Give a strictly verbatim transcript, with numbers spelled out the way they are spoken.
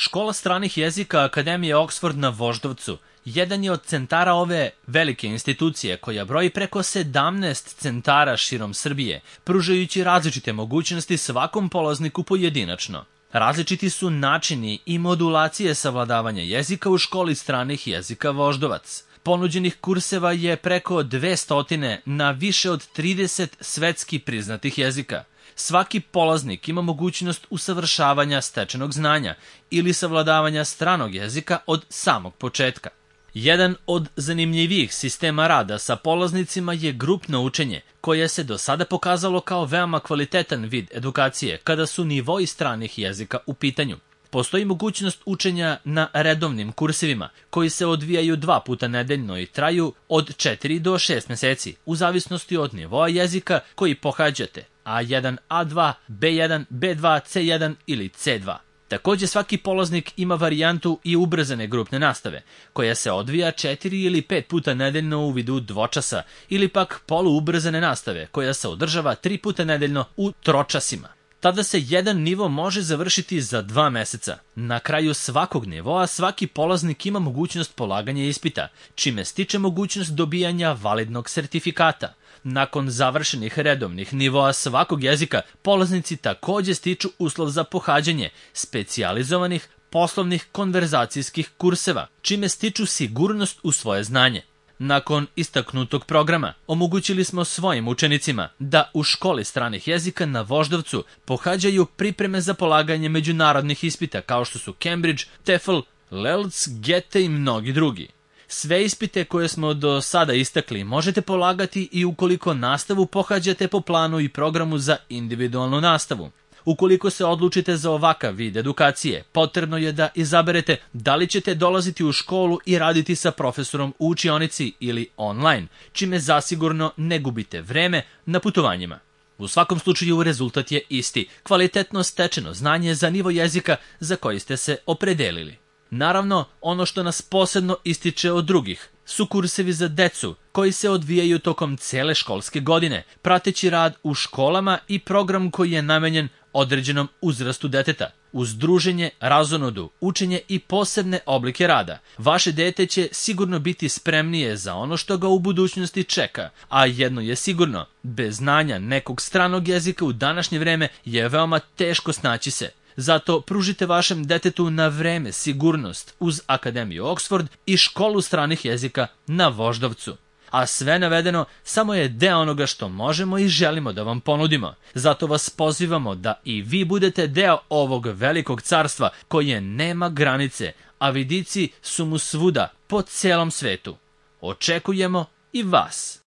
Škola stranih jezika Akademije Oxford na Voždovcu jedan je od centara ove velike institucije koja broji preko sedamnaest centara širom Srbije, pružajući različite mogućnosti svakom polazniku pojedinačno. Različiti su načini i modulacije savladavanja jezika u školi stranih jezika Voždovac. Ponuđenih kurseva je preko dvesta na više od trideset svetski priznatih jezika. Svaki polaznik ima mogućnost usavršavanja stečenog znanja ili savladavanja stranog jezika od samog početka. Jedan od zanimljivijih sistema rada sa polaznicima je grupno učenje, koje se do sada pokazalo kao veoma kvalitetan vid edukacije kada su nivoi stranih jezika u pitanju. Postoji mogućnost učenja na redovnim kursevima, koji se odvijaju dva puta nedeljno i traju od četiri do šest meseci, u zavisnosti od nivoa jezika koji pohađate, A jedan, A dva, B jedan, B dva, C jedan ili C dva. Takođe, svaki polaznik ima varijantu i ubrzane grupne nastave, koja se odvija četiri ili pet puta nedeljno u vidu dvočasa, ili pak poluubrzane nastave, koja se održava tri puta nedeljno u tročasima. Tada se jedan nivo može završiti za dva meseca. Na kraju svakog nivoa svaki polaznik ima mogućnost polaganja ispita, čime stiče mogućnost dobijanja validnog sertifikata. Nakon završenih redovnih nivoa svakog jezika, polaznici takođe stiču uslov za pohađanje specijalizovanih poslovnih konverzacijskih kurseva, čime stiču sigurnost u svoje znanje. Nakon istaknutog programa, omogućili smo svojim učenicima da u školi stranih jezika na Voždovcu pohađaju pripreme za polaganje međunarodnih ispita kao što su Cambridge, TEFL, L E L C, G E T E i mnogi drugi. Sve ispite koje smo do sada istakli možete polagati i ukoliko nastavu pohađate po planu i programu za individualnu nastavu. Ukoliko se odlučite za ovakav vid edukacije, potrebno je da izaberete da li ćete dolaziti u školu i raditi sa profesorom u učionici ili online, čime zasigurno ne gubite vreme na putovanjima. U svakom slučaju rezultat je isti, kvalitetno stečeno znanje za nivo jezika za koji ste se opredelili. Naravno, ono što nas posebno ističe od drugih su kursevi za decu koji se odvijaju tokom cele školske godine, prateći rad u školama i program koji je namenjen određenom uzrastu deteta. Uz druženje, razonodu, učenje i posebne oblike rada, vaše dete će sigurno biti spremnije za ono što ga u budućnosti čeka, a jedno je sigurno, bez znanja nekog stranog jezika u današnje vreme je veoma teško snaći se. Zato pružite vašem detetu na vreme sigurnost uz Akademiju Oxford i školu stranih jezika na Voždovcu. A sve navedeno samo je deo onoga što možemo i želimo da vam ponudimo. Zato vas pozivamo da i vi budete deo ovog velikog carstva koje nema granice, a vidici su mu svuda po celom svetu. Očekujemo i vas.